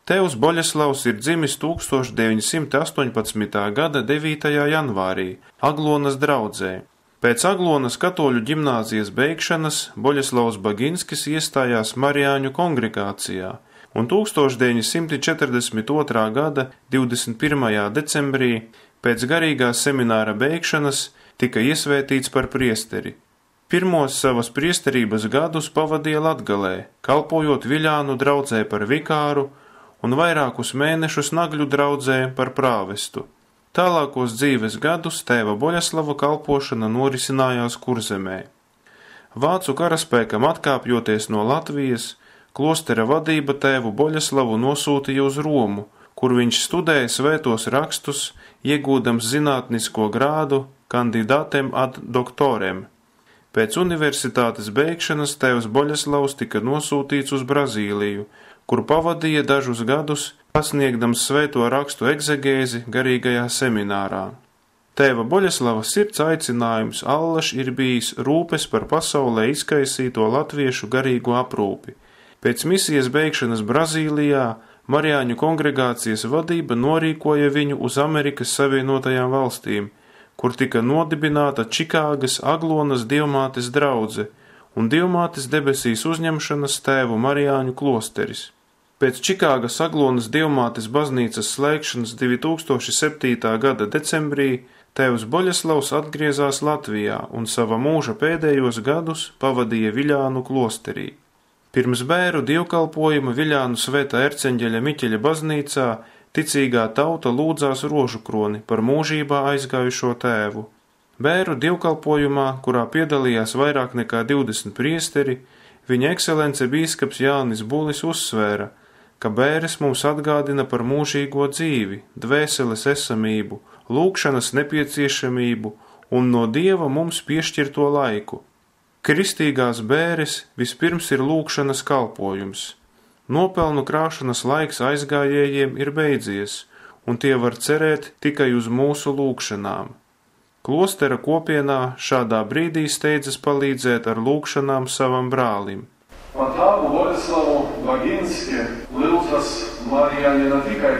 Tēvs Boļeslavs ir dzimis 1918. gada 9. janvārī Aglonas draudzē. Pēc Aglonas katoļu ģimnāzijas beigšanas Boļeslavs Baginskis iestājās Marijāņu kongregācijā un 1942. gada 21. decembrī pēc garīgā semināra beigšanas tika iesvētīts par priesteri. Pirmos savas priesterības gadus pavadīja Latgalē, kalpojot Viļānu draudzē par vikāru un vairākus mēnešus Nagļu draudzē par prāvestu. Tālākos dzīves gadus tēva Boļeslava kalpošana norisinājās Kurzemē. Vācu karaspēkam atkāpjoties no Latvijas, klostera vadība tēvu Boļeslavu nosūtīja uz Romu, kur viņš studēja svētos rakstus, iegūdams zinātnisko grādu kandidātem ad doktorem. Pēc universitātes beigšanas tēvs Boļeslavs tika nosūtīts uz Brazīliju, kur pavadīja dažus gadus, pasniegdams svēto rakstu egzegēzi garīgajā seminārā. Tēva Boļeslava sirds aicinājums allaž ir bijis rūpes par pasaulē izkaisīto latviešu garīgo aprūpi. Pēc misijas beigšanas Brazīlijā Marijāņu kongregācijas vadība norīkoja viņu uz Amerikas Savienotajām valstīm, kur tika nodibināta Čikāgas Aglonas dievmātes draudze un dievmātes debesīs uzņemšanas tēvu Marijāņu klosteris. Pēc Čikāgas Aglonas dievmātes baznīcas slēgšanas 2007. gada decembrī tēvs Boļeslavs atgriezās Latvijā un sava mūža pēdējos gadus pavadīja Viļānu klosterī. Pirms bēru dievkalpojuma Viļānu svētā erceņģeļa Miķeļa baznīcā ticīgā tauta lūdzās rožukroni par mūžībā aizgājušo tēvu. Bēru dievkalpojumā, kurā piedalījās vairāk nekā 20 priesteri, viņa ekscelence bīskaps Jānis Bulis uzsvēra, ka bēres mums atgādina par mūžīgo dzīvi, dvēseles esamību, lūgšanas nepieciešamību un no Dieva mums piešķirto laiku. Kristīgās bēres vispirms ir lūgšanas kalpojums. Nopelnu krāšanas laiks aizgājējiem ir beidzies, un tie var cerēt tikai uz mūsu lūgšanām. Klostera kopienā šādā brīdī steidzas palīdzēt ar lūgšanām savam brālim. Par tēvu Boļeslavu Baginski lūdzas Marijāņi ne tikai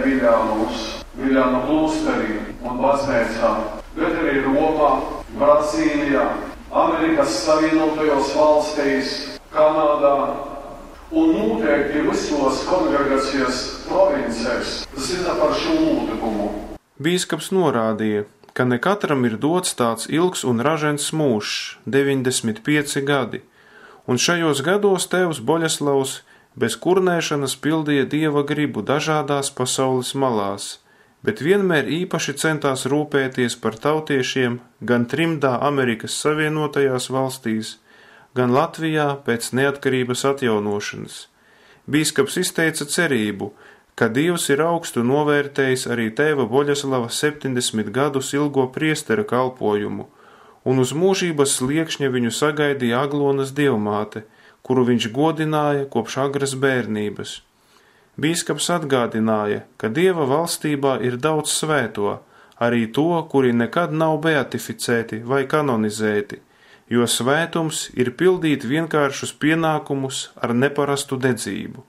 Viļānu klosterī un baznīcā, bet arī Romā, Brazīlijā, Amerikas Savienotajos valstīs, Kanādā un noteikti visos kongregācijas provincēs zina par šo notikumu. Bīskaps norādīja, ka ne katram ir dots tāds ilgs un ražens mūžs, 95 gadi, un šajos gados tēvs Boļeslavs bez kurnēšanas pildīja Dieva gribu dažādās pasaules malās, bet vienmēr īpaši centās rūpēties par tautiešiem gan trimdā Amerikas Savienotajās valstīs, gan Latvijā pēc neatkarības atjaunošanas. Bīskaps izteica cerību, ka Dievs ir augstu novērtējis arī tēva Boļeslava 70 gadus ilgo priestera kalpojumu, un uz mūžības sliekšņa viņu sagaidīja Aglonas dievmāte, kuru viņš godināja kopš agras bērnības. Bīskaps atgādināja, ka Dieva valstībā ir daudz svēto, arī to, kuri nekad nav beatificēti vai kanonizēti, jo svētums ir pildīt vienkāršus pienākumus ar neparastu dedzību.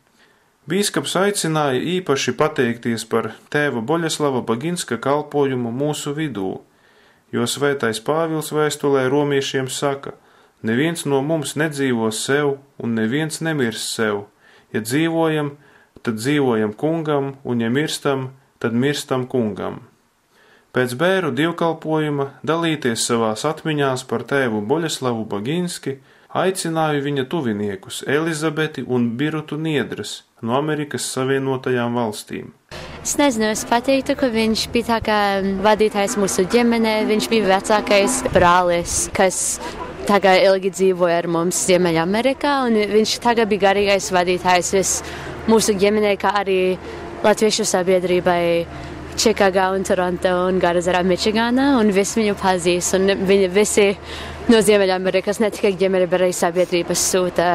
Bīskaps aicināja īpaši pateikties par tēva Boļeslava Baginska kalpojumu mūsu vidū, jo svētais Pāvils vēstulē romiešiem saka, neviens no mums nedzīvo sev un neviens nemirs sev, ja dzīvojam, tad dzīvojam kungam, un ja mirstam, tad mirstam kungam. Pēc bēru dievkalpojuma dalīties savās atmiņās par tēvu Boļeslavu Baginski aicināju viņa tuviniekus Elizabeti un Birutu Niedras no Amerikas Savienotajām valstīm. Es nezinu, es pateiktu, ka viņš bija tā kā vadītājs mūsu ģimenē, viņš bija vecākais brālis, kas tagad ilgi dzīvoja ar mums Ziemeļamerikā, un viņš tagad bija garīgais vadītājs mūsu ģimenei, kā arī latviešu sabiedrībai Čikāgā un Toronto un Garazarā, Mičigānā, un visi viņu pazīst, un viņi visi no Ziemeļamerikas, ne tikai ģimene, bet arī sabiedrības sūta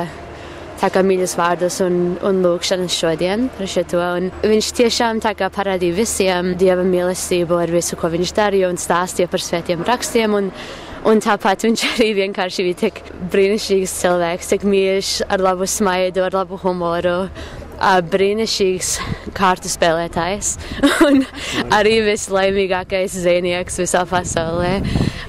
tā kā mīļus vārdus un lūgšanas šodien par šito, un viņš tiešām tā kā parādīja visiem Dieva mīlestību ar visu, ko viņš darīja, un stāstīja par svētiem rakstiem, un tāpat viņš arī vienkārši bija tik brīnišķīgs cilvēks, tik mīļš, ar labu smaidu, ar labu humoru, brīnišķīgs kārtu spēlētājs un arī vislaimīgākais zvejnieks visā pasaulē.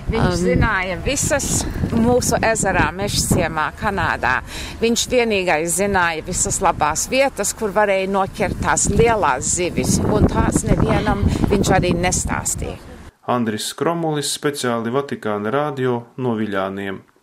Viņš zināja visas mūsu ezerā, Mežciemā, Kanādā. Viņš vienīgais zināja visas labās vietas, kur varēja noķert tās lielās zivis, un tās nevienam viņš arī nestāstīja. Andris Skromulis, speciāli Vatikāna radio no Viļāniem.